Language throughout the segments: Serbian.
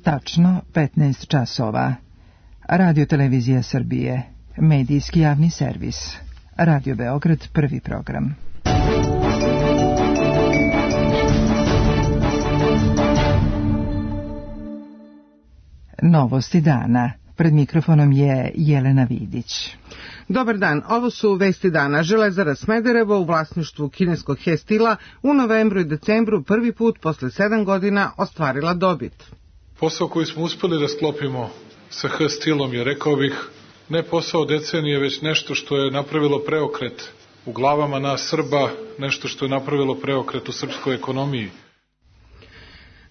Tačno 15 časova. Radio Televizija Srbije. Medijski javni servis. Radio Beograd, prvi program. Novosti dana. Pred mikrofonom je Jelena Vidić. Dobar dan, ovo su vesti dana. Železara Smederevo u vlasništvu kineskog Hestila u novembru i decembru prvi put posle 7 godina ostvarila dobit. Posao koji smo uspeli da sklopimo sa Hestilom je, rekao bih, ne posao decenije, već nešto što je napravilo preokret u glavama nas Srba, nešto što je napravilo preokret u srpskoj ekonomiji.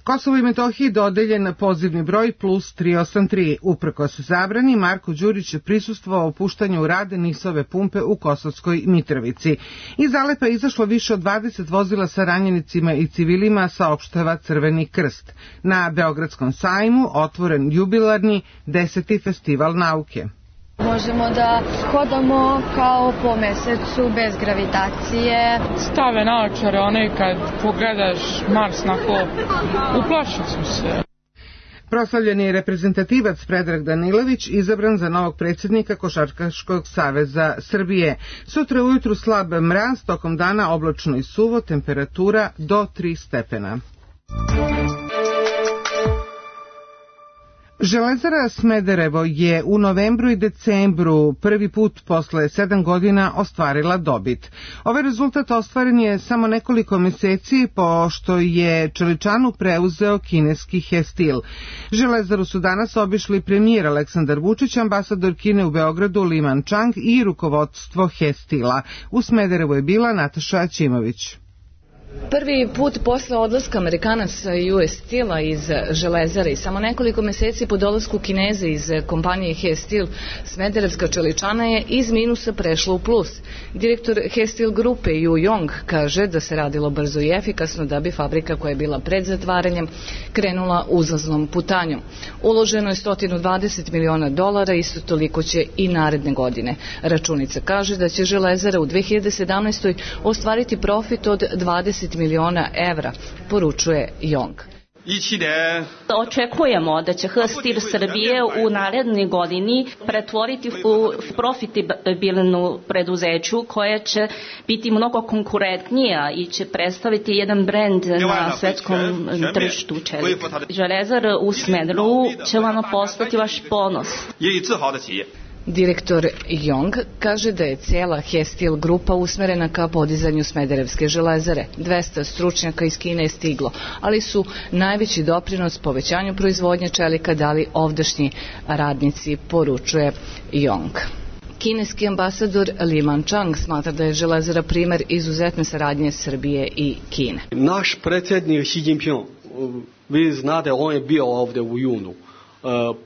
Kosovo i Metohiji dodeljen pozivni broj plus 383. Uprkos zabrani, Marko Đurić je prisustvovao puštanju u rad NIS-ove pumpe u Kosovskoj Mitrovici. Iz Alepa je izašlo više od 20 vozila sa ranjenicima i civilima, saopštava Crveni krst. Na Beogradskom sajmu otvoren jubilarni 10. festival nauke. Možemo da hodamo kao po mesecu bez gravitacije. Stave naočare, onaj kad pogledaš Mars na klop. Uplašio sam se. Proslavljeni reprezentativac Predrag Danilović izabran za novog predsjednika Košarkaškog saveza Srbije. Sutra ujutru slab mraz, tokom dana oblačno i suvo, temperatura do 3 stepena. Železara Smederevo je u novembru i decembru prvi put posle 7 godina ostvarila dobit. Ovaj rezultat ostvaren je samo nekoliko meseci pošto je čeličanu preuzeo kineski Hestil. Železaru su danas obišli premijer Aleksandar Vučić, ambasador Kine u Beogradu Li Mančang i rukovodstvo Hestila. U Smederevu je bila Nataša Ćimović. Prvi put posle odlaska Amerikanaca US Steel-a iz Železare i samo nekoliko meseci po dolasku Kineza iz kompanije Hestil, Smederevska čeličana je iz minusa prešla u plus. Direktor Hestil grupe Yu Yong kaže da se radilo brzo i efikasno da bi fabrika koja je bila pred zatvaranjem krenula uzlaznom putanjom. Uloženo je $120 miliona, isto toliko će i naredne godine. Računica kaže da će Železara u 2017. ostvariti profit od $20 miliona evra, poručuje Yong. Očekujemo da će Hestil Srbije u narednoj godini pretvoriti u profitabilnu preduzeću koja će biti mnogo konkurentnija i će predstaviti jedan brend na svetskom tržištu čelika. Železara u Smederevu će vam postati vaš ponos. Direktor Yong kaže da je cijela Hestil grupa usmerena ka podizanju Smederevske železare. 200 stručnjaka iz Kine je stiglo, ali su najveći doprinos povećanju proizvodnje čelika dali ovdašnji radnici, poručuje Yong. Kineski ambasador Li Mančang smatra da je železara primer izuzetne saradnje Srbije i Kine. Naš predsjednik Xi Jinping, vi znate, on je bio ovdje u junu.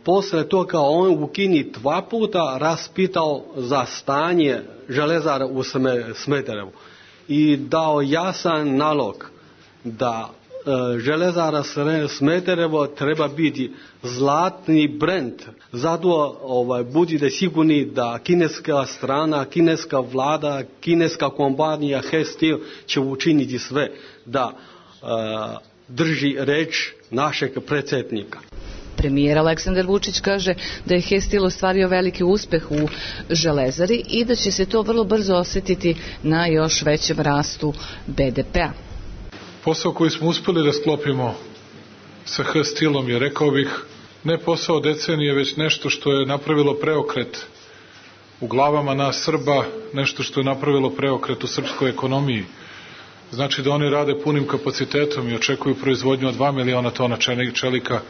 Posle toga on u Kini 2 puta raspitao za stanje železara u Smederevu i dao jasan nalog da železara Smederevo treba biti zlatni brend. Zato budite sigurni da kineska strana, kineska vlada, kineska kompanija Hestil će učiniti sve da drži reč našeg predsjednika. Premijer Aleksandar Vučić kaže da je Hestil ostvario veliki uspeh u železari i da će se to vrlo brzo osjetiti na još većem rastu BDP-a. Posao koji smo uspeli da sklopimo sa Hestilom je, rekao bih, ne posao decenije, već nešto što je napravilo preokret u glavama nas Srba, nešto što je napravilo preokret u srpskoj ekonomiji. Znači da oni rade punim kapacitetom i očekuju proizvodnju od 2 miliona tona čelika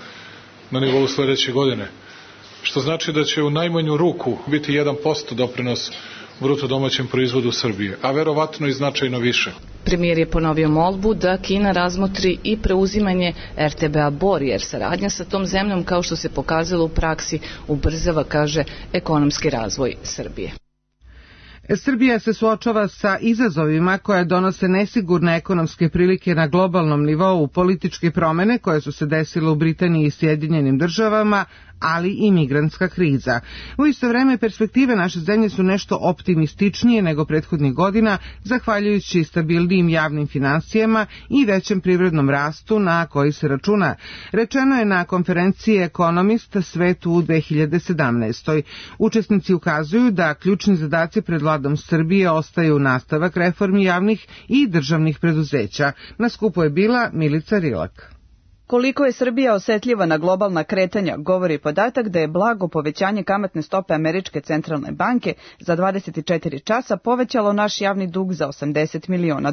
na nivou sljedeće godine, što znači da će u najmanju ruku biti 1% doprinos bruto domaćem proizvodu Srbije, a verovatno i značajno više. Premijer je ponovio molbu da Kina razmotri i preuzimanje RTB-a Bor, jer saradnja sa tom zemljom, kao što se pokazalo u praksi, ubrzava, kaže, ekonomski razvoj Srbije. Srbija se suočava sa izazovima koje donose nesigurne ekonomske prilike na globalnom nivou, političke promene koje su se desile u Britaniji i Sjedinjenim državama, ali i migrantska kriza. U isto vreme, perspektive naše zemlje su nešto optimističnije nego prethodnih godina, zahvaljujući stabilnim javnim finansijama i većem privrednom rastu na koji se računa. Rečeno je na konferenciji Economist Svet u 2017. Učesnici ukazuju da ključni zadaci pred vladom Srbije ostaju nastavak reformi javnih i državnih preduzeća. Na skupu je bila Milica Rilak. Koliko je Srbija osetljiva na globalna kretanja, govori podatak da je blago povećanje kamatne stope Američke centralne banke za 24 časa povećalo naš javni dug za $80 miliona,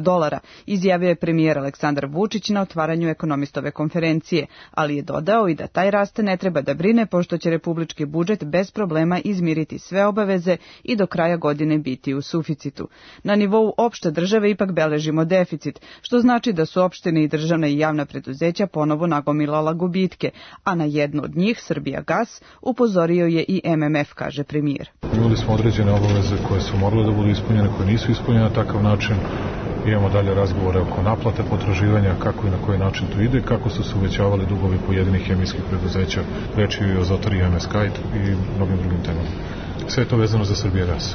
izjavio je premijer Aleksandar Vučić na otvaranju ekonomistove konferencije, ali je dodao i da taj rast ne treba da brine, pošto će republički budžet bez problema izmiriti sve obaveze i do kraja godine biti u suficitu. Na nivou opšte države ipak beležimo deficit, što znači da su opštine i državna i javna preduzeća ponovo nagomilala gubitke, a na jednu od njih, Srbijagas, upozorio je i MMF, kaže premijer. Imali smo određene obaveze koje su morale da budu ispunjene, koje nisu ispunjene na takav način. Imamo dalje razgovore oko naplate potraživanja, kako i na koji način to ide, kako su se uvećavali dugovi pojedinih hemijskih preduzeća, reč je i o Zotori i MS Kite i mnogim drugim temama. Sve je to vezano za Srbijagas.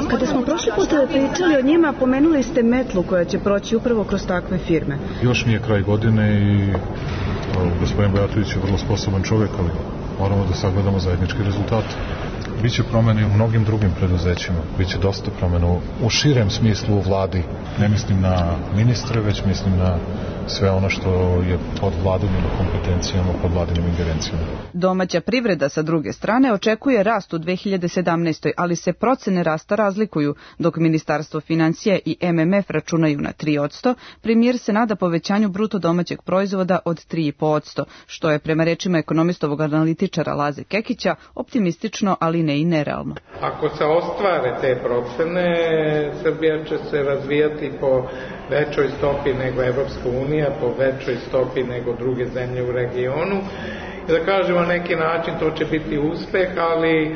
Kada smo prošli put pričali o njima, pomenuli ste metlu koja će proći upravo kroz takve firme. Još nije kraj godine i gospodin Bojatović je vrlo sposoban čovjek, ali moramo da sagledamo zajednički rezultat. Biće promene u mnogim drugim preduzećima, biće dosta promena u širem smislu u vladi. Ne mislim na ministre, već mislim na sve ono što je pod vladinim kompetencijama, pod vladinim ingerencijama. Domaća privreda sa druge strane očekuje rast u 2017. ali se procene rasta razlikuju. Dok Ministarstvo finansija i MMF računaju na 3%, premijer se nada povećanju bruto domaćeg proizvoda od 3,5%, što je prema rečima ekonomistovog analitičara Laze Kekića optimistično, ali ne i nerealno. Ako se ostvare te procene, Srbija će se razvijati po većoj stopi nego Evropska unija, po većoj stopi nego druge zemlje u regionu. I da kažemo na neki način to će biti uspeh, ali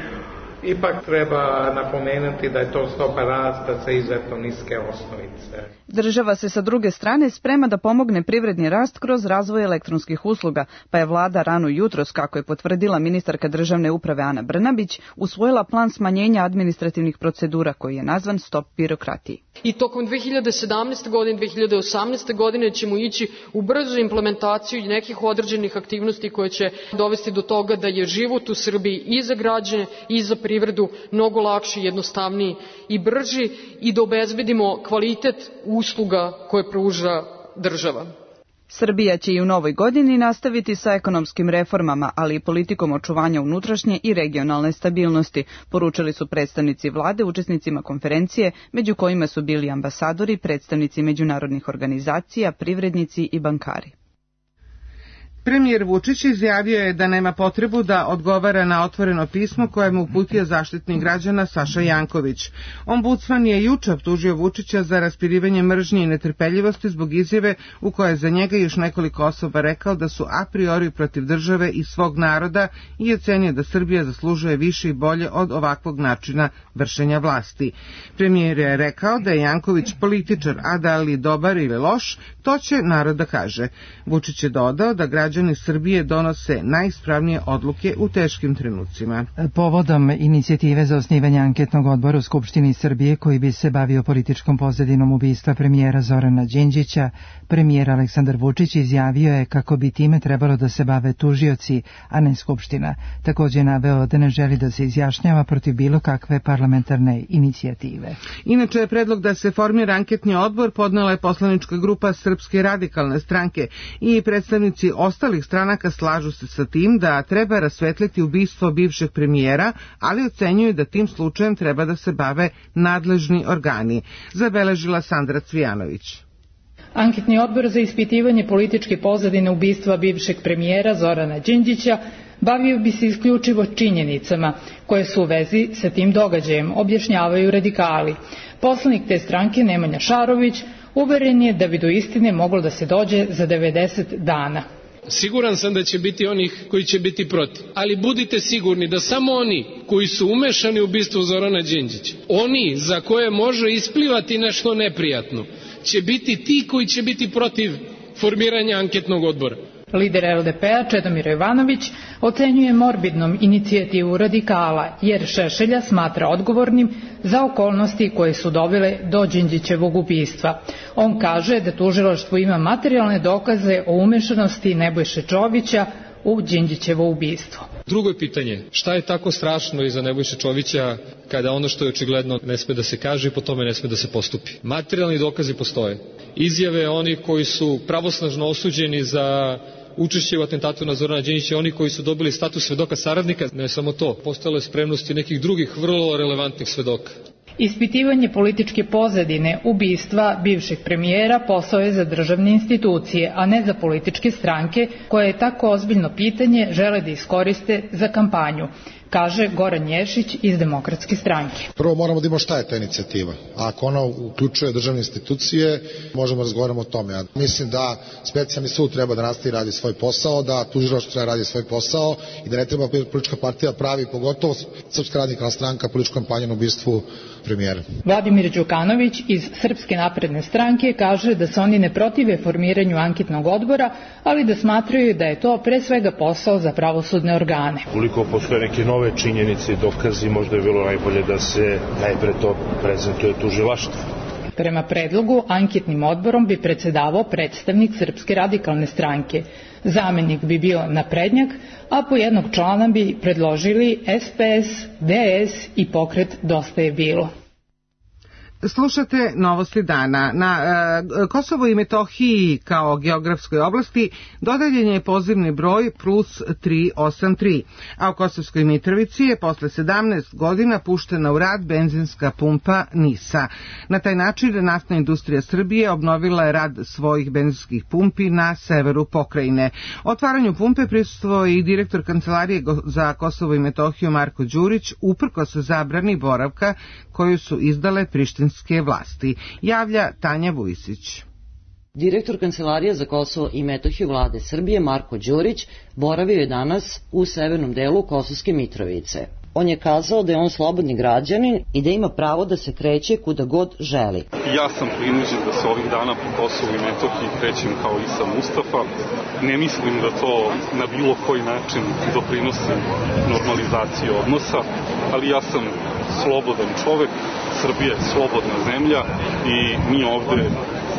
ipak treba napomenuti da je to stopa rasta sa izuzetno niske osnovice. Država se sa druge strane sprema da pomogne privredni rast kroz razvoj elektronskih usluga, pa je vlada rano jutros, kako je potvrdila ministarka državne uprave Ana Brnabić, usvojila plan smanjenja administrativnih procedura koji je nazvan Stop birokratiji. I tokom 2017. godine, 2018. godine ćemo ići u brzu implementaciju nekih određenih aktivnosti koje će dovesti do toga da je život u Srbiji i za građane i za privredu mnogo lakši, jednostavniji i brži i da obezbedimo kvalitet usluga koje pruža država. Srbija će i u novoj godini nastaviti sa ekonomskim reformama, ali i politikom očuvanja unutrašnje i regionalne stabilnosti, poručili su predstavnici vlade učesnicima konferencije, među kojima su bili ambasadori, predstavnici međunarodnih organizacija, privrednici i bankari. Premijer Vučić izjavio je da nema potrebu da odgovara na otvoreno pismo koje mu uputio Zaštitnik građana Saša Janković. Ombudsman je juče optužio Vučića za raspirivanje mržnje i netrpeljivosti zbog izjave u kojoj je za njega još nekoliko osoba rekao da su a priori protiv države i svog naroda i ocenio da Srbija zaslužuje više i bolje od ovakvog načina vršenja vlasti. Premijer je rekao da je Janković političar, a da li dobar ili loš, to će narod da kaže. Vučić je dodao da građani Srbije donose najispravnije odluke u teškim trenucima. Povodom inicijative za osnivanje anketnog odbora u Skupštini Srbije koji bi se bavio političkom pozadinom ubistva premijera Zorana Đinđića, premijer Aleksandar Vučić izjavio je kako bi time trebalo da se bave tužioci, a ne Skupština. Također je naveo da ne želi da se izjašnjava protiv bilo kakve parlamentarne inicijative. Inače je predlog da se formira anketni odbor podnela je poslanička grupa Srpske radikalne stranke i predstavnici ostalih stranaka slažu se sa tim da treba rasvetliti ubistvo bivšeg premijera, ali ocenjuju da tim slučajem treba da se bave nadležni organi, zabeležila Sandra Cvijanović. Anketni odbor za ispitivanje političke pozadine ubistva bivšeg premijera Zorana Đinđića bavio bi se isključivo činjenicama koje su u vezi sa tim događajem, objašnjavaju radikali. Poslanik te stranke Nemanja Šarović uveren je da bi do istine moglo da se dođe za 90 dana. Siguran sam da će biti onih koji će biti protiv, ali budite sigurni da samo oni koji su umešani u ubistvo Zorana Đinđića, oni za koje može isplivati nešto neprijatno, će biti ti koji će biti protiv formiranja anketnog odbora. Lider LDP-a Čedomir Jovanović ocenjuje morbidnom inicijativu radikala, jer Šešelja smatra odgovornim za okolnosti koje su dovele do Đinđićevog ubistva. On kaže da tužilaštvo ima materijalne dokaze o umešanosti Nebojše Čovića u Đinđićevo ubistvo. Drugo je pitanje, šta je tako strašno iza Nebojše Čovića kada ono što je očigledno ne sme da se kaže i po tome ne sme da se postupi? Materijalni dokazi postoje. Izjave onih koji su pravosnažno osuđeni za učešće u atentatu na Zorana Đinđića, oni koji su dobili status svedoka saradnika, ne samo to, postojala je spremnost i nekih drugih vrlo relevantnih svedoka. Ispitivanje političke pozadine ubistva bivšeg premijera posao je za državne institucije, a ne za političke stranke koje je tako ozbiljno pitanje žele da iskoriste za kampanju, kaže Goran Ješić iz Demokratske stranke. Prvo moramo da imamo šta je ta inicijativa. Ako ona uključuje državne institucije, možemo razgovaramo o tome. Ja mislim da specijalni sud treba da nastavi radi svoj posao, da tužilaštvo treba radi svoj posao i da ne treba politička partija pravi, pogotovo Srpska radikalna stranka, političku kampanju na ubistvu premijera. Vladimir Đukanović iz Srpske napredne stranke kaže da se oni ne protive formiranju anketnog odbora, ali da smatraju da je to pre svega posao za pravosudne organe. Koliko postoje neke nove činjenice i dokazi, možda je bilo najbolje da se najpre to prezentuje tužilaštvu. Prema predlogu, anketnim odborom bi predsedavao predstavnik Srpske radikalne stranke. Zamenik bi bio naprednjak, a po jednog člana bi predložili SPS, DS i pokret Dosta je bilo. Slušate Novosti dana. Na Kosovo i Metohiji kao geografskoj oblasti dodeljen je pozivni broj plus 383, a u Kosovskoj Mitrovici je posle 17 godina puštena u rad benzinska pumpa NIS-a. Na taj način Naftna industrija Srbije obnovila je rad svojih benzinskih pumpi na severu pokrajine. Otvaranju pumpe prisustvovao je i direktor Kancelarije za Kosovo i Metohiju Marko Đurić, uprkos zabrani boravka koju su izdale prištinske vlasti, javlja Tanja Vujisić. Direktor Kancelarije za Kosovo i Metohiju vlade Srbije Marko Đurić boravio je danas u severnom delu Kosovske Mitrovice. On je kazao da je on slobodni građanin i da ima pravo da se kreće kuda god želi. Ja sam prinuđen da se ovih dana po Kosovu i Metohiji krećem kao Isa Mustafa. Ne mislim da to na bilo koji način doprinosi normalizaciji odnosa, ali ja sam slobodan čovek, Srbija je slobodna zemlja i mi ovde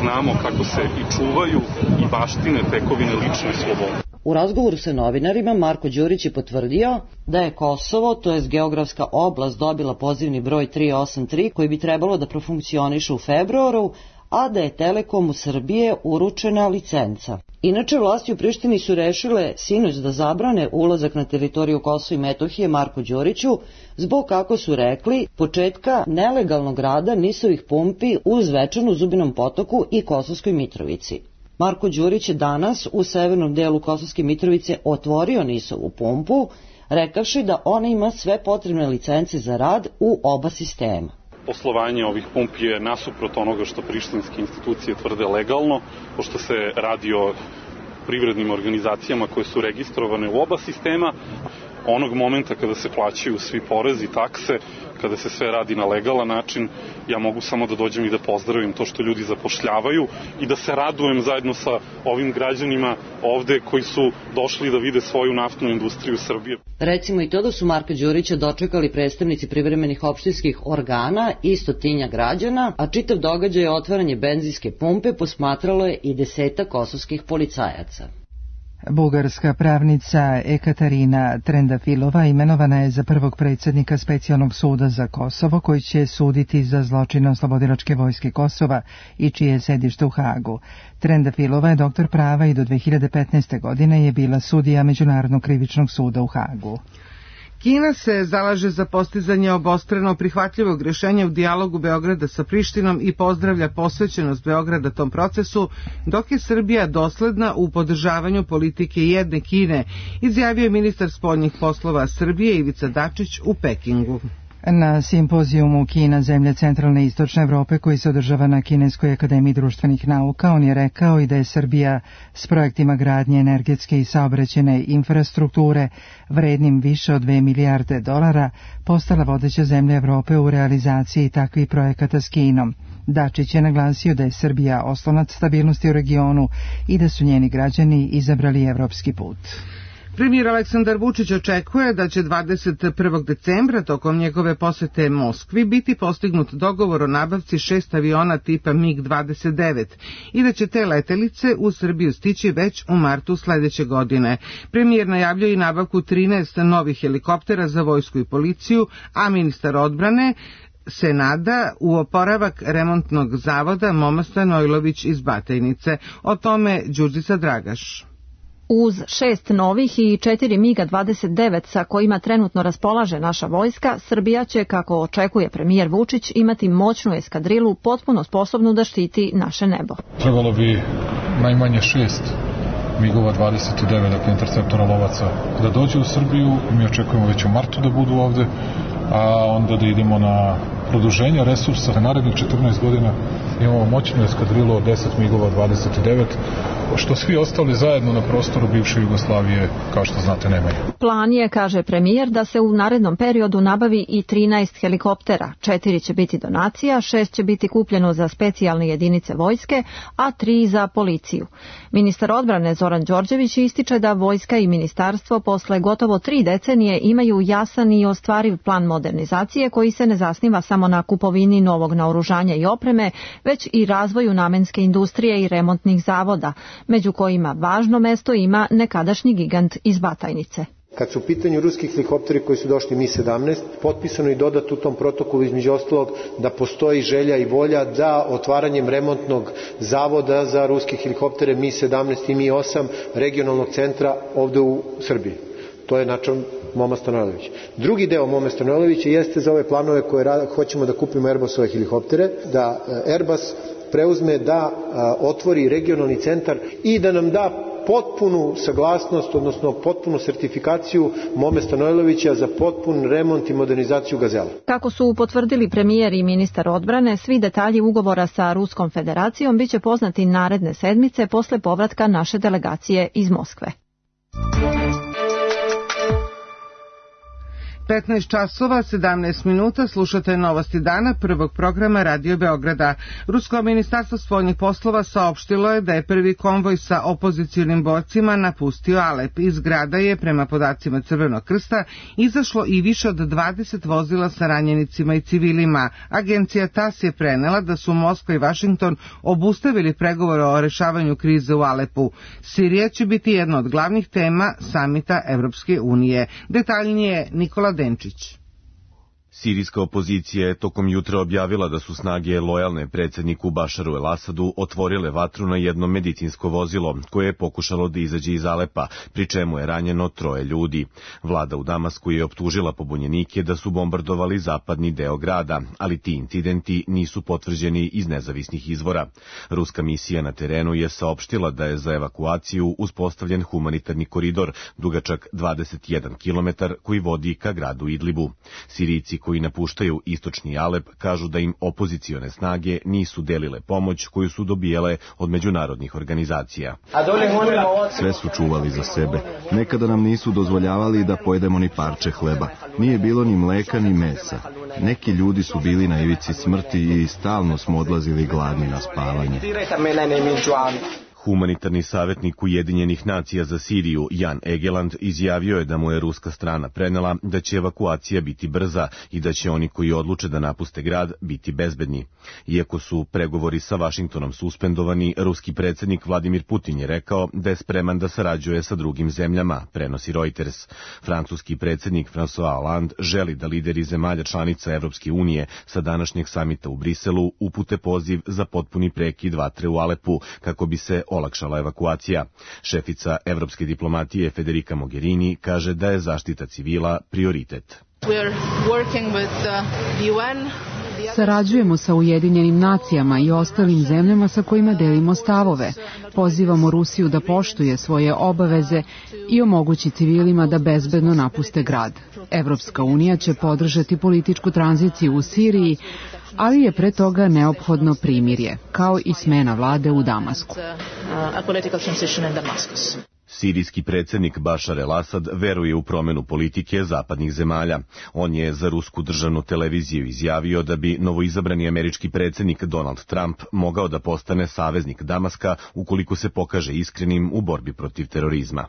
znamo kako se i čuvaju i baštine tekovine lične slobode. U razgovoru sa novinarima Marko Đurić je potvrdio da je Kosovo, to jest geografska oblast, dobila pozivni broj 383 koji bi trebalo da profunkcioniše u februaru, a da je Telekomu Srbije uručena licenca. Inače, vlasti u Prištini su rešile sinoć da zabrane ulazak na teritoriju Kosova i Metohije Marku Đuriću zbog, kako su rekli, početka nelegalnog rada NIS-ovih pumpi u Zvečanu, Zubinom Potoku i Kosovskoj Mitrovici. Marko Đurić je danas u severnom delu Kosovske Mitrovice otvorio NIS-ovu pumpu, rekavši da ona ima sve potrebne licence za rad u oba sistema. Poslovanje ovih pumpi je nasuprot onoga što prištinske institucije tvrde legalno, pošto se radi o privrednim organizacijama koje su registrovane u oba sistema. Onog momenta kada se plaćaju svi porezi, takse, kada se sve radi na legalan način, ja mogu samo da dođem i da pozdravim to što ljudi zapošljavaju i da se radujem zajedno sa ovim građanima ovde koji su došli da vide svoju naftnu industriju Srbije. Recimo i to da su Marka Đurića dočekali predstavnici privremenih opštinskih organa i 100 građana, a čitav događaj otvaranje benzinske pumpe posmatralo je i 10 kosovskih policajaca. Bugarska pravnica Ekaterina Trendafilova imenovana je za prvog predsjednika Specijalnog suda za Kosovo, koji će suditi za zločine Oslobodilačke vojske Kosova i čije je sedište u Hagu. Trendafilova je doktor prava i do 2015. godine je bila sudija Međunarodnog krivičnog suda u Hagu. Kina se zalaže za postizanje obostrano prihvatljivog rješenja u dijalogu Beograda sa Prištinom i pozdravlja posvećenost Beograda tom procesu, dok je Srbija dosledna u podržavanju politike jedne Kine, izjavio je ministar spoljnih poslova Srbije Ivica Dačić u Pekingu. Na simpozijumu Kina, zemlje centralne i istočne Evrope koji se održava na Kineskoj akademiji društvenih nauka, on je rekao i da je Srbija s projektima gradnje energetske i saobraćajne infrastrukture vrednim više od 2 milijarde dolara postala vodeća zemlja Evrope u realizaciji takvih projekata s Kinom. Dačić je naglasio da je Srbija oslonac stabilnosti u regionu i da su njeni građani izabrali evropski put. Premijer Aleksandar Vučić očekuje da će 21. decembra tokom njegove posete Moskvi biti postignut dogovor o nabavci 6 aviona tipa MiG-29 i da će te letelice u Srbiju stići već u martu sledeće godine. Premijer najavljuje i nabavku 13 novih helikoptera za vojsku i policiju, a ministar odbrane se nada u oporavak remontnog zavoda Moma Stanojlović iz Batajnice. O tome Đurđica Dragaš. Uz 6 novih i 4 MiG-29 sa kojima trenutno raspolaže naša vojska, Srbija će, kako očekuje premijer Vučić, imati moćnu eskadrilu potpuno sposobnu da štiti naše nebo. Trebalo bi najmanje 6 MiG-ova 29, dakle interceptora lovaca, da dođe u Srbiju. Mi očekujemo već u martu da budu ovde, a onda da idemo na produženje resursa. Na narednih 14 godina imamo moćnu eskadrilu od 10 MiG-ova 29, što svi ostali zajedno na prostoru bivše Jugoslavije, kao što znate, nemaju. Plan je, kaže premijer, da se u narednom periodu nabavi i 13 helikoptera. 4 će biti donacija, 6 će biti kupljeno za specijalne jedinice vojske, a 3 za policiju. Ministar odbrane Zoran Đorđević ističe da vojska i ministarstvo posle gotovo 3 decenije imaju jasan i ostvariv plan modernizacije koji se ne zasniva samo na kupovini novog naoružanja i opreme, već i razvoju namenske industrije i remontnih zavoda, među kojima važno mesto ima nekadašnji gigant iz Batajnice. Kad su u pitanju ruski helikopteri koji su došli Mi-17, potpisano i dodato u tom protokolu između ostalog da postoji želja i volja da otvaranjem remontnog zavoda za ruske helikoptere Mi-17 i Mi-8 regionalnog centra ovde u Srbiji. To je način Moma Stanojlović. Drugi deo Mome Stanojlovića jeste za ove planove koje hoćemo da kupimo Airbusove helikoptere, da Airbus preuzme da otvori regionalni centar i da nam da potpunu saglasnost, odnosno potpunu sertifikaciju Mome Stanojlovića za potpun remont i modernizaciju Gazela. Kako su potvrdili premijer i ministar odbrane, svi detalji ugovora sa Ruskom federacijom biće poznati naredne sedmice posle povratka naše delegacije iz Moskve. 15 časova, 17 minuta, slušate novosti dana prvog programa Radio Beograda. Rusko ministarstvo spoljnih poslova saopštilo je da je prvi konvoj sa opozicionim borcima napustio Alep. Iz grada je, prema podacima Crvenog krsta, izašlo i više od 20 vozila sa ranjenicima i civilima. Agencija TAS je prenela da su Moskva i Vašington obustavili pregovore o rešavanju krize u Alepu. Sirija će biti jedna od glavnih tema samita Evropske unije. Detaljnije Nikola Denčić. Sirijska opozicija je tokom jutra objavila da su snage lojalne predsjedniku Bašaru el-Asadu otvorile vatru na jedno medicinsko vozilo koje je pokušalo da izađe iz Alepa, pri čemu je ranjeno 3 ljudi. Vlada u Damasku je optužila pobunjenike da su bombardovali zapadni deo grada, ali ti incidenti nisu potvrđeni iz nezavisnih izvora. Ruska misija na terenu je saopštila da je za evakuaciju uspostavljen humanitarni koridor dugačak 21 km koji vodi ka gradu Idlibu. Sirijci koji napuštaju istočni Alep kažu da im opozicione snage nisu delile pomoć koju su dobijale od međunarodnih organizacija. Sve su čuvali za sebe. Nekada nam nisu dozvoljavali da pojedemo ni parče hleba. Nije bilo ni mleka ni mesa. Neki ljudi su bili na ivici smrti i stalno smo odlazili gladni na spavanje. Humanitarni savjetnik Ujedinjenih nacija za Siriju, Jan Egeland, izjavio je da mu je ruska strana prenela da će evakuacija biti brza i da će oni koji odluče da napuste grad biti bezbedni. Iako su pregovori sa Vašingtonom suspendovani, ruski predsjednik Vladimir Putin je rekao da je spreman da sarađuje sa drugim zemljama, prenosi Reuters. Francuski predsjednik François Hollande želi da lideri zemalja članica Evropske unije sa današnjeg samita u Briselu upute poziv za potpuni prekid vatre u Alepu, kako bi se olakšala evakuacija. Šefica evropske diplomatije Federica Mogherini kaže da je zaštita civila prioritet. Sarađujemo sa Ujedinjenim nacijama i ostalim zemljama sa kojima delimo stavove. Pozivamo Rusiju da poštuje svoje obaveze i omogući civilima da bezbedno napuste grad. Evropska unija će podržati političku tranziciju u Siriji, ali je pre toga neophodno primirje, kao i smena vlade u Damasku. Sirijski predsjednik Bašar el-Asad veruje u promjenu politike zapadnih zemalja. On je za rusku državnu televiziju izjavio da bi novoizabrani američki predsjednik Donald Trump mogao da postane saveznik Damaska ukoliko se pokaže iskrenim u borbi protiv terorizma.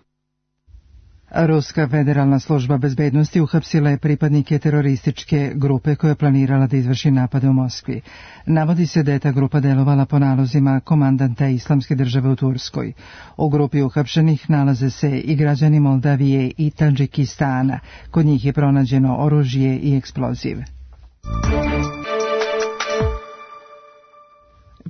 Ruska federalna služba bezbednosti uhapsila je pripadnike terorističke grupe koja je planirala da izvrši napade u Moskvi. Navodi se da je ta grupa delovala po nalozima komandanta Islamske države u Turskoj. U grupi uhapšenih nalaze se i građani Moldavije i Tadžikistana. Kod njih je pronađeno oružje i eksploziv.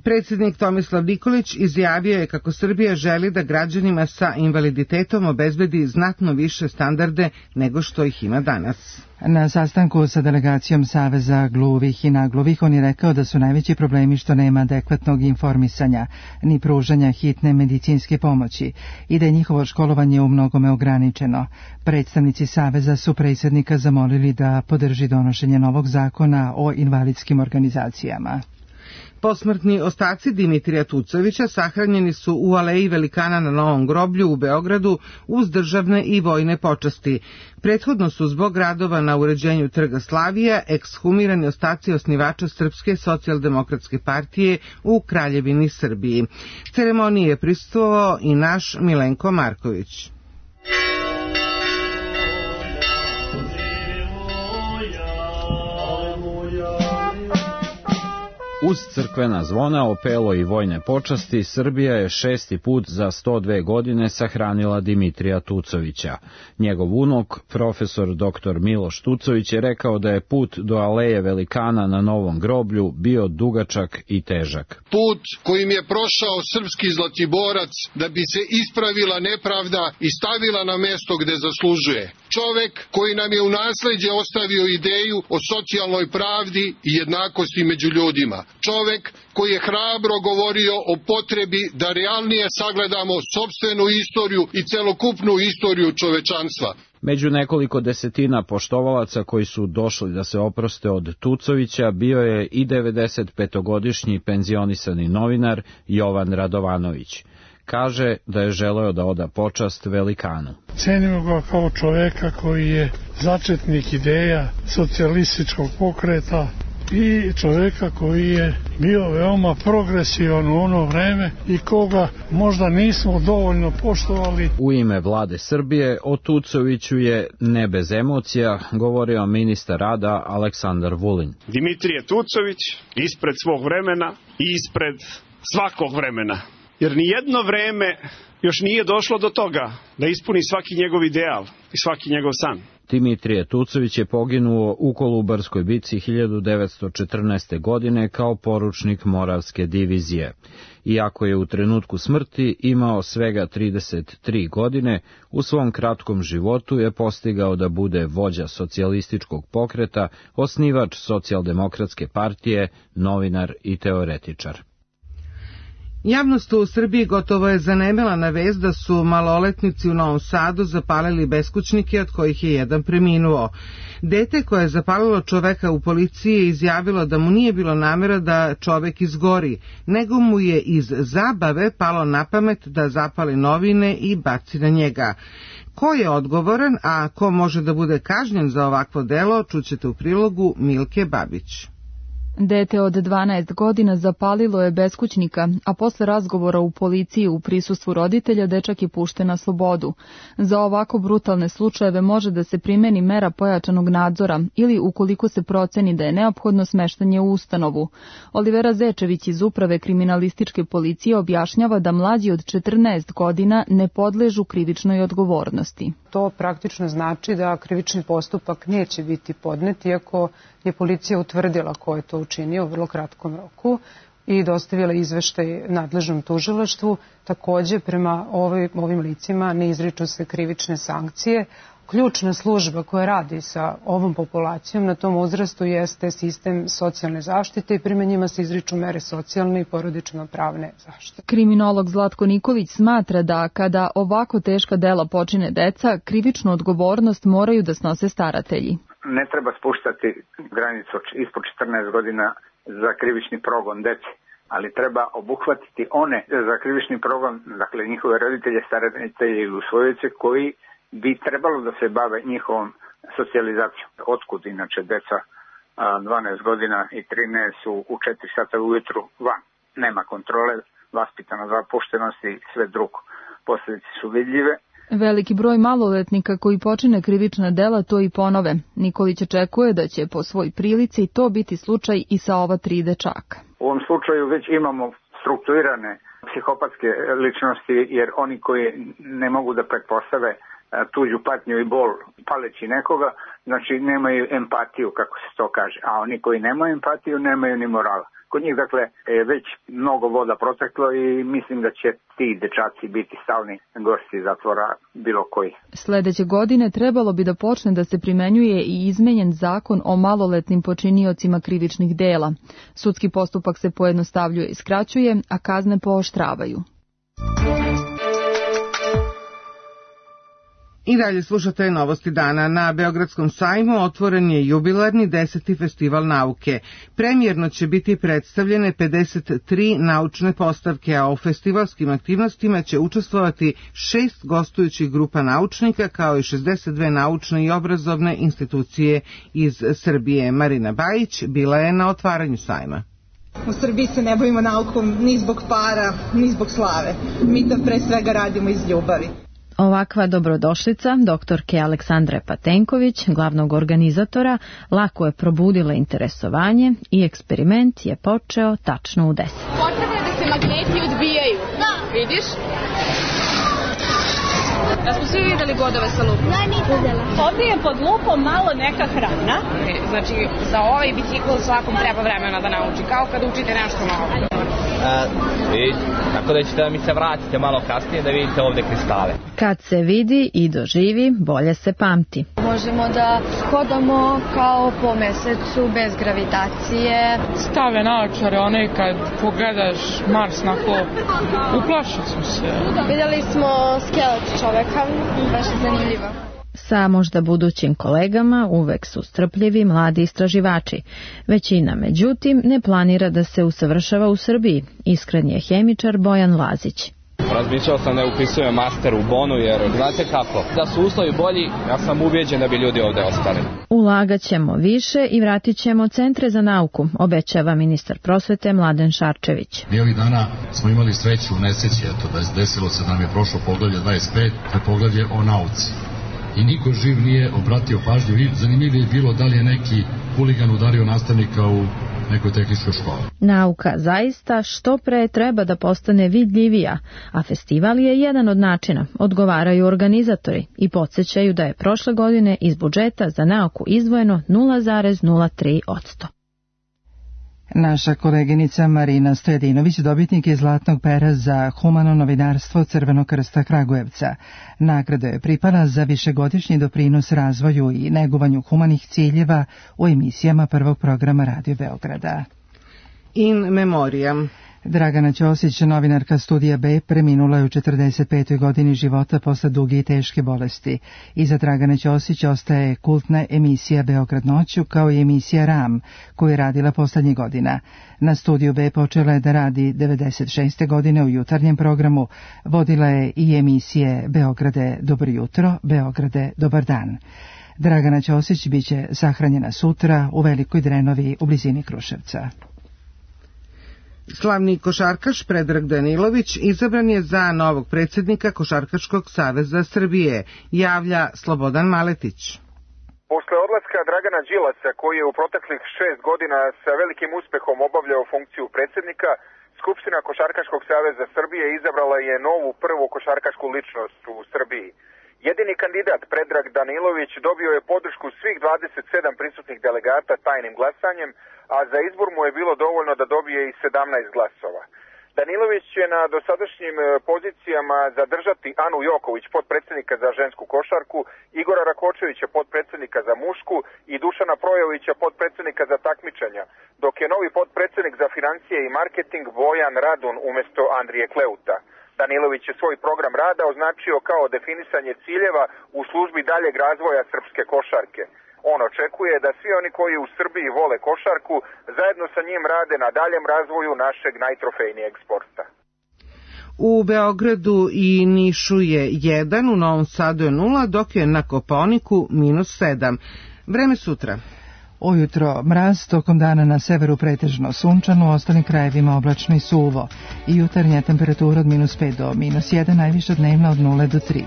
Predsjednik Tomislav Nikolić izjavio je kako Srbija želi da građanima sa invaliditetom obezbedi znatno više standarde nego što ih ima danas. Na sastanku sa delegacijom Saveza gluvih i nagluvih on je rekao da su najveći problemi što nema adekvatnog informisanja ni pružanja hitne medicinske pomoći i da je njihovo školovanje u mnogome ograničeno. Predstavnici Saveza su predsjednika zamolili da podrži donošenje novog zakona o invalidskim organizacijama. Posmrtni ostaci Dimitrija Tucovića sahranjeni su u Aleji velikana na Novom groblju u Beogradu uz državne i vojne počasti. Prethodno su zbog radova na uređenju Trga Slavija ekshumirani ostaci osnivača Srpske socijaldemokratske partije u Kraljevini Srbiji. Ceremoniji je prisustvovao i naš Milenko Marković. Uz crkvena zvona, opelo i vojne počasti, Srbija je 6. put za 102 godine sahranila Dimitrija Tucovića. Njegov unuk, profesor dr. Miloš Tucović, je rekao da je put do Aleje velikana na Novom groblju bio dugačak i težak. Put kojim je prošao srpski zlatiborac da bi se ispravila nepravda i stavila na mesto gde zaslužuje. Čovek koji nam je u nasleđe ostavio ideju o socijalnoj pravdi i jednakosti među ljudima. Čovek koji je hrabro govorio o potrebi da realnije sagledamo sopstvenu istoriju i celokupnu istoriju čovečanstva. Među nekoliko desetina poštovalaca koji su došli da se oproste od Tucovića bio je i 95-godišnji penzionisani novinar Jovan Radovanović. Kaže da je želeo da oda počast velikanu. Cenimo ga kao čoveka koji je začetnik ideja socijalističkog pokreta i čoveka koji je bio veoma progresivan u ono vreme i koga možda nismo dovoljno poštovali. U ime vlade Srbije o Tucoviću je ne bez emocija govorio ministar rada Aleksandar Vulin. Dimitrije Tucović ispred svog vremena i ispred svakog vremena. Jer nijedno vreme još nije došlo do toga da ispuni svaki njegov ideal i svaki njegov san. Dimitrije Tucović je poginuo u Kolubarskoj bici 1914. godine kao poručnik Moravske divizije. Iako je u trenutku smrti imao svega 33 godine, u svom kratkom životu je postigao da bude vođa socijalističkog pokreta, osnivač socijaldemokratske partije, novinar i teoretičar. Javnost u Srbiji gotovo je zanemela na vest da su maloletnici u Novom Sadu zapalili beskućnike, od kojih je jedan preminuo. Dete koje je zapalilo čoveka u policiji je izjavilo da mu nije bilo namera da čovek izgori, nego mu je iz zabave palo na pamet da zapali novine i baci na njega. Ko je odgovoran, a ko može da bude kažnjen za ovakvo delo, čućete u prilogu Milke Babić. Dete od 12 godina zapalilo je beskućnika, a posle razgovora u policiji u prisustvu roditelja dečak je pušten na slobodu. Za ovako brutalne slučajeve može da se primeni mera pojačanog nadzora ili ukoliko se proceni da je neophodno smeštanje u ustanovu. Olivera Zečević iz Uprave kriminalističke policije objašnjava da mlađi od 14 godina ne podležu krivičnoj odgovornosti. To praktično znači da krivični postupak neće biti podnet, iako je policija utvrdila ko je to učinio u vrlo kratkom roku i dostavila izveštaj nadležnom tužilaštvu. Takođe, prema ovim licima ne izriču se krivične sankcije, ključna služba koja radi sa ovom populacijom na tom uzrastu jeste sistem socijalne zaštite i prema njima se izriču mere socijalne i porodično-pravne zaštite. Kriminolog Zlatko Nikolić smatra da kada ovako teška dela počine deca, krivičnu odgovornost moraju da snose staratelji. Ne treba spuštati granicu ispod 14 godina za krivični progon dece, ali treba obuhvatiti one za krivični progon, dakle njihove roditelje, staratelje i usvojice koji bi trebalo da se bave njihovom socijalizacijom. Otkud inače deca 12 godina i 13 su u 4 sata ujutru van. Nema kontrole, vaspitana zapuštenosti i sve drugo. Posljedice su vidljive. Veliki broj maloletnika koji počine krivična dela to i ponove. Nikolić očekuje da će po svoj prilici to biti slučaj i sa ova 3 dečaka. U ovom slučaju već imamo strukturirane psihopatske ličnosti, jer oni koji ne mogu da pretpostave tuđu patnju i bol paleći nekoga, znači nemaju empatiju, kako se to kaže. A oni koji nemaju empatiju, nemaju ni morala. Kod njih, dakle, je već mnogo voda proteklo i mislim da će ti dečaci biti stalni gosti zatvora bilo koji. Sledeće godine trebalo bi da počne da se primenjuje i izmenjen zakon o maloletnim počiniocima krivičnih dela. Sudski postupak se pojednostavljuje i skraćuje, a kazne pooštravaju. I dalje slušate novosti dana. Na Beogradskom sajmu otvoren je jubilarni 10. festival nauke. Premijerno će biti predstavljene 53 naučne postavke, a u festivalskim aktivnostima će učestvovati 6 gostujućih grupa naučnika, kao i 62 naučne i obrazovne institucije iz Srbije. Marina Bajić bila je na otvaranju sajma. U Srbiji se ne bavimo naukom ni zbog para, ni zbog slave. Mi to pre svega radimo iz ljubavi. Ovakva dobrodošlica doktorke Aleksandre Patenković, glavnog organizatora, lako je probudila interesovanje i eksperiment je počeo tačno u 10. Potrebno je da se magneti odbijaju. Da. Vidiš? Da smo svi videli godove sa lupom? Da, nisam videla. Ovdje je pod lupom malo neka hrana. Znači, za ovaj bicikl svakom treba vremena da nauči, kao kad učite nešto novo. Tako da ćete da mi se vratite malo kasnije da vidite ovde kristale. Kad se vidi i doživi, bolje se pamti. Možemo da hodamo kao po mesecu bez gravitacije. Stave naočare, one kad pogledaš Mars na klop, uplašili smo se. Vidjeli smo skelet čoveka, baš je zanimljivo. Sa možda budućim kolegama uvek su strpljivi mladi istraživači. Većina, međutim, ne planira da se usavršava u Srbiji. Iskren je hemičar Bojan Lazić. Razmišljao sam da upisujem master u Bonu, jer znate kako, da su uslovi bolji, ja sam ubijeđen da bi ljudi ovde ostali. Ulagat ćemo više i vratit ćemo centre za nauku, obećava ministar prosvete Mladen Šarčević. Mi ovih dana smo imali sreću u nesreći, eto, desilo se da nam je prošlo poglavlje 25, to je poglavlje o nauci. I niko živ nije obratio pažnju. Zanimljivo je bilo da li je neki huligan udario nastavnika u nekoj tehničkoj školi. Nauka zaista što pre treba da postane vidljivija, a festival je jedan od načina, odgovaraju organizatori i podsjećaju da je prošle godine iz budžeta za nauku izdvojeno 0,03%. Naša koleginica Marina Stojedinović dobitnik je Zlatnog pera za humano novinarstvo Crvenog krsta Kragujevca. Nagrada je pripala za višegodišnji doprinos razvoju i negovanju humanih ciljeva u emisijama prvog programa Radio Beograda. In memoriam. Dragana Ćosić, novinarka Studija B, preminula je u 45. godini života posle duge i teške bolesti. Iza Dragane Ćosić ostaje kultna emisija Beograd noću, kao i emisija RAM, koju je radila poslednjih godina. Na Studiju B počela je da radi 96. godine u jutarnjem programu. Vodila je i emisije Beograde dobro jutro, Beograde dobar dan. Dragana Ćosić biće sahranjena sutra u Velikoj Drenovi u blizini Kruševca. Slavni košarkaš Predrag Danilović izabran je za novog predsjednika Košarkaškog saveza Srbije, javlja Slobodan Maletić. Posle odlaska Dragana Đilasa, koji je u proteklih 6 godina sa velikim uspehom obavljao funkciju predsjednika, Skupština Košarkaškog saveza Srbije izabrala je novu prvu košarkašku ličnost u Srbiji. Jedini kandidat Predrag Danilović dobio je podršku svih 27 prisutnih delegata tajnim glasanjem, a za izbor mu je bilo dovoljno da dobije i 17 glasova. Danilović će na dosadašnjim pozicijama zadržati Anu Joković, potpredsjednika za žensku košarku, Igora Rakočevića, potpredsjednika za mušku i Dušana Projovića, potpredsjednika za takmičenja, dok je novi potpredsjednik za financije i marketing Bojan Radun umjesto Andrije Kleuta. Danilović je svoj program rada označio kao definisanje ciljeva u službi daljeg razvoja srpske košarke. On očekuje da svi oni koji u Srbiji vole košarku zajedno sa njim rade na daljem razvoju našeg najtrofejnijeg sporta. U Beogradu i Nišu je 1, u Novom Sadu je 0, dok je na Kopaoniku -7. Vreme sutra. Ujutro mraz, tokom dana na severu pretežno sunčano, u ostalim krajevima oblačno i suvo. I jutarnja temperatura od -5 do -1, najviša dnevna od 0 do 3.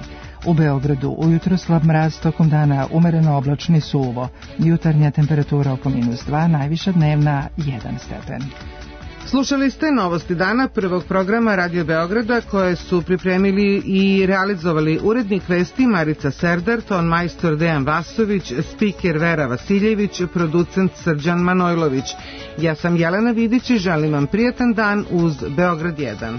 U Beogradu ujutro slab mraz, tokom dana umereno oblačno i suvo. Jutarnja temperatura oko -2, najviša dnevna 1 stepen. Slušali ste novosti dana prvog programa Radio Beograda koje su pripremili i realizovali urednik vesti Marica Serdar, ton majstor Dejan Vasović, spiker Vera Vasiljević, producent Srđan Manojlović. Ja sam Jelena Vidić i želim vam prijatan dan uz Beograd 1.